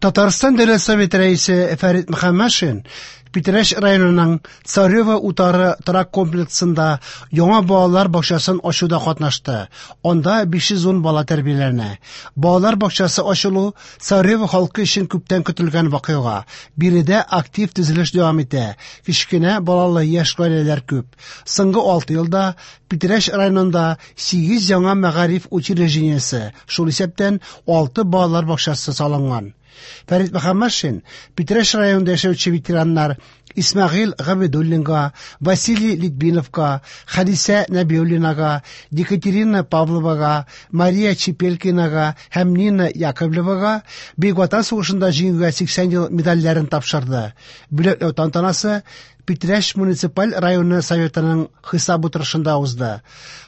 Татарстан Дәүләт Советы Рәисе Фәрит Мөхәммәтшин Питрәч районының Царево утары торак комплексында яңа балалар бакчасын ачуда катнашты. Анда 510 бала тәрбияләнә. Балалар бакчасы ачылу Царево халкы өчен күптән көтелгән вакыйга. Биредә актив төзелеш дәвам итә. Кечкенә балалы яшь гаиләләр күп. Соңгы 6 елда Питрәч районында 8 яңа мәгариф учреждениесе, шул исәптән 6 балалар бакчасы салынган. Фәрит Мөхәммәтшин Питрәч районында яшәүче ветераннар Исмәгыйль Габидуллинга, Василий Литвиновка, Хәдисә Нәбиуллинага, Екатерина Павловага, Мария Чепелькинага һәм Нина Яковлевага Бөек Ватан сугышында җиңүгә 80 ел медальләрен тапшырды. Бүләкләү тантанасы Питрәч муниципаль районы советының хисап утырышында узды.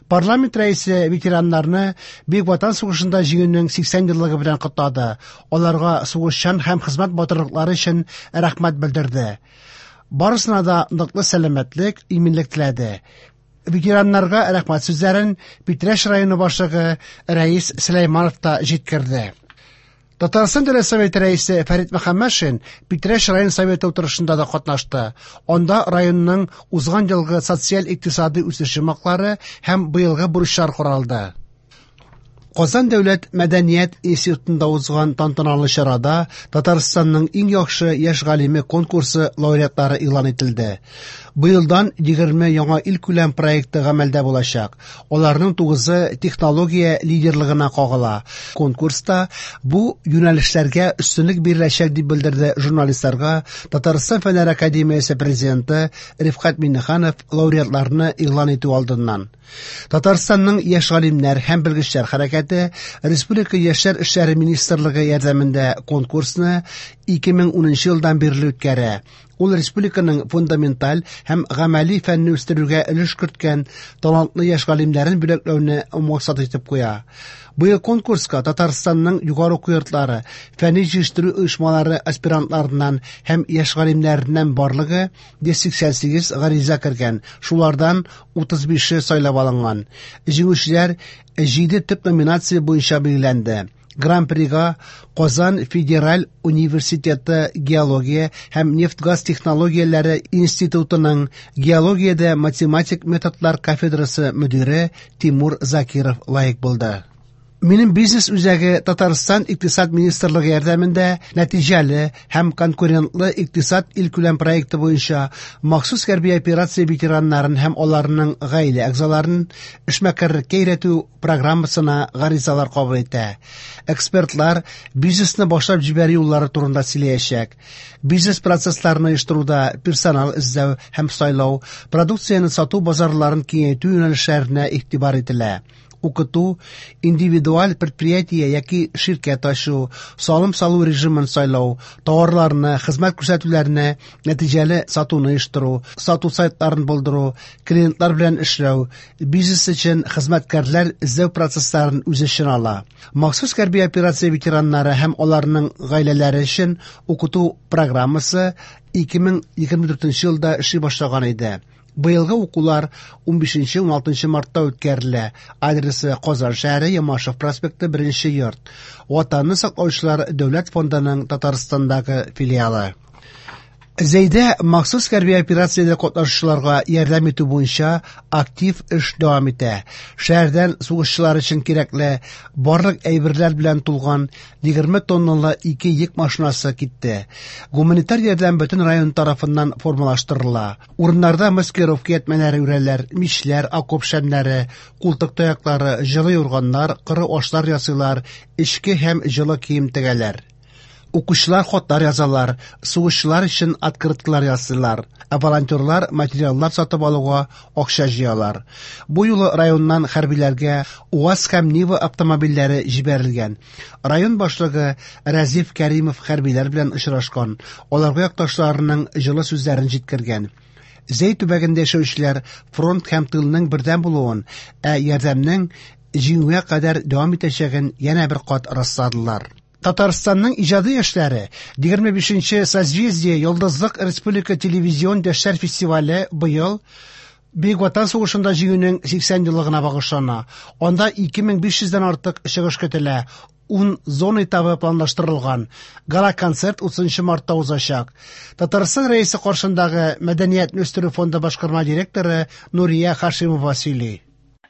Парламент рәисе ветераннарны Бөек Ватан сугышында җиңүнең 80 еллыгы белән котлады. Аларга сугышчан һәм хезмәт батырлыклары өчен рәхмәт белдерде. Барысына да ныклы сәламәтлек, иминлек теләде. Ветераннарга рәхмәт сүзләрен Питрәч районы башлыгы Рәис Сөләйманов та җиткерде. Татарстан Дәүләт Советы рәисе Фәрит Мөхәммәтшин Питрәч район советы утырышында да катнашты. Анда районның узган елгы социаль-икътисади үсеш йомгаклары һәм быелгы бурычлар каралды. Казан дәүләт мәдәният институтында узган тантаналы чарада Татарстанның иң яхшы яшь галиме конкурсы лауреатлары игълан ителде. Быелдан 20 яңа илкүләм проекты гамәлдә булачак. Аларның тугызы технология лидерлыгына кагыла. Конкурста бу юнәлешләргә өстенлек биреләчәк дип белдерде журналистларга Татарстан Фәннәр академиясе президенты Рифкать Миңнеханов лауреатларны игълан итү алдыннан. Татарстанның яшь галимнәр һәм белгечләр хәрәкәте Республика яшьләр эшләре министрлыгы ярдәмендә конкурсны 2010 елдан бирле үткәрә. Ул республиканың фундаменталь һәм гамәли фәнне үстерүгә өлеш керткән талантлы яшь галимнәрен бүләкләүне максат итеп куя. Быел конкурска Татарстанның югары уку йортлары, фәнни җитештерү оешмалары аспирантларыннан һәм яшь галимнәреннән барлыгы 188 гариза кергән, шулардан 35-е сайлап алынган. Җиңүчеләр 7 төп номинация буенча билгеләнде. Гран-прига Казан федераль университеты геология һәм нефть-газ технологияләре институтының геологиядә математик методлар кафедрасы мөдире Тимур Закиров лаек булды. Минем бизнес үзәге Татарстан Икътисад министрлыгы ярдәмендә нәтиҗәле һәм конкурентлы икътисад илкүләм проекты буенча махсус хәрби операция ветераннарын һәм аларның гаилә әгъзаларын эшмәкәрлеккә өйрәтү программасына гаризалар кабул итә. Экспертлар бизнесны башлап җибәрү юллары турында сөйләячәк. Бизнес процессларын оештыруда персонал эзләү һәм сайлау, продукцияне сату базарларын киңәйтү юнәлешләренә игътибар ителә. Укыту, индивидуаль предприятие яки ширкәт ачу, салым салу режимын сайлау, товарларны, хезмәт күрсәтүләрне нәтиҗәле сатуны оештыру, сату сайтларын булдыру, клиентлар белән эшләү, бизнес өчен хезмәткәрләр эзләү процессларын үз эченә ала. Махсус хәрби операция ветераннары һәм аларның гаиләләре өчен укыту программасы 2024 елда эшли башлаган иде. Быелгы укулар 15-16 мартта үткәрелә. Адресы Казан шәһәре, Ямашев проспекты, 1 йорт. Ватанны саклаучылар дәүләт фондының Татарстандагы филиалы. Зәйдә махсус хәрби операциядә катнашучыларга ярдәм итү буенча актив эш дәвам итә. Шәһәрдән сугышчылар өчен кирәкле барлык әйберләр белән тулган 20 тонналы ике йөк машинасы китте. Гуманитар ярдәм бөтен район тарафыннан формалаштырыла. Урыннарда маскировка ятмәләре үрәләр, мичләр, окоп шәмнәре, култык таяклары, җылы юрганнар, коры ашлар ясыйлар, эчке һәм җылы кием тегәләр. Укучылар хатлар язалар, сугышчылар өчен открыткалар ясыйлар, ә волонтерлар материаллар сатып алуга акча җыялар. Бу юлы районнан хәрбиләргә УАЗ һәм Нива автомобильләре җибәрелгән. Район башлыгы Рәзиф Кәримов хәрбиләр белән очрашкан, аларга якташларының җылы сүзләрен җиткергән. Зәй төбәгендә яшәүчеләр фронт һәм тылның бердәм булуын, ә ярдәмнең җиңүгә кадәр дәвам итәчәген янә бер кат расладылар. Татарстанның иҗади яшьләре 25-нче Созвездие Йолдызлык республика телевизион яшьләр фестивале быел Бөек Ватан сугышында җиңүнең 80 еллыгына багышлана. Анда 2500 дән артык чыгыш көтелә. Ун зона этабы планлаштырылган. Гала-концерт 30 мартта узачак. Татарстан Рәисе каршындагы Мәдәниятне үстерү фонды башкарма директоры Нурия Хашимова сөйли.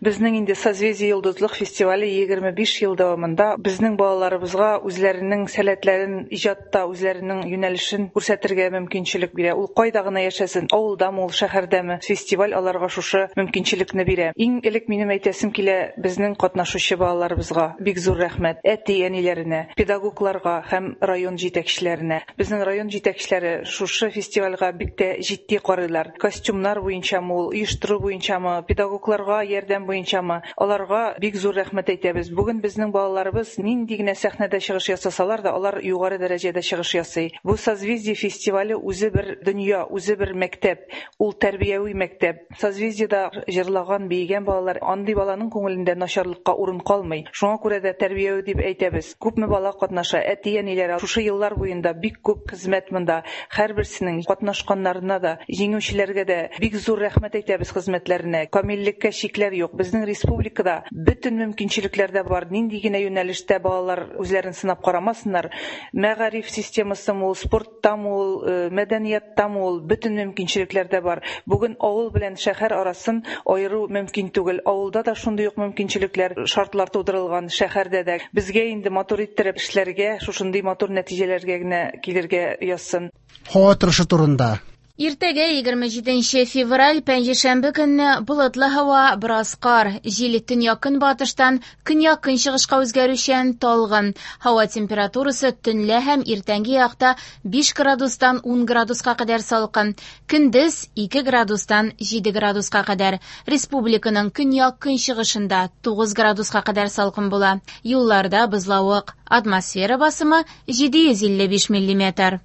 Безнең инде Созвездие Йолдызлык фестивале 25 ел дәвамында безнең балаларыбызга үзләренең сәләтләрен иҗатта, үзләренең юнәлешен күрсәтергә мөмкинчелек бирә. Ул кайда гына яшәсен, авылдамы ул, шәһәрдәме, фестиваль аларга шушы мөмкинчелекне бирә. Иң элек минем әйтәсем килә безнең катнашучы балаларыбызга бик зур рәхмәт, әти-әниләренә, педагогларга һәм район җитәкчеләренә. Безнең район җитәкчеләре шушы фестивальгә бик тә җитди карыйлар. Костюмнар буенчамы ул, оештыру буенчамы, педагогларга ярдәм буенчамы, аларга бик зур рәхмәт әйтәбез. Бүген безнең балаларыбыз нинди генә сәхнәдә чыгыш ясасалар да, алар югары дәрәҗәдә чыгыш ясый. Бу Созвездие фестивале үзе бер дөнья, үзе бер мәктәп. Ул тәрбияви мәктәп. Созвездиедә җырлаган, биегән балалар, андый баланың күңелендә начарлыкка урын калмый. Шуңа күрә дә тәрбияви дип әйтәбез. Күпме бала катнаша, әти-әниләре шушы еллар буенда бик күп хезмәт монда. Һәрберсенең катнашканнарына да, җиңүчеләргә дә бик зур рәхмәт әйтәбез хезмәтләренә. Камиллеккә чикләр юк. Безнең республикада бөтен мөмкинчелекләр дә бар. Нинди генә юнәлештә балалар үзләрен сынап карамасыннар, мәгариф системасымы ул, спорттамы ул, мәдәнияттамы ул, бөтен мөмкинчелекләр дә бар. Бүген авыл белән шәһәр арасын аеру мөмкин түгел. Авылда да шундый ук мөмкинчелекләр, шартлар тудырылган, шәһәрдә дә. Безгә инде матур иттереп эшләргә, шушындый матур нәтиҗәләргә генә килергә язсын. Һава торышы турында. Иртәгә 27 февраль пәнҗешәмбе көнне болытлы һава, бераз кар, җил төньяк-көнбатыштан көньяк-көнчыгышка үзгәрүчән, талгын. Һава температурасы төнлә һәм иртәнге якта 5 градустан 10 градуска кадәр салкын, көндез 2 градустан 7 градуска кадәр. Республиканың көньяк-көнчыгышында 9 градуска кадәр салкын була. Юлларда бозлавык, атмосфера басымы 755 миллиметр.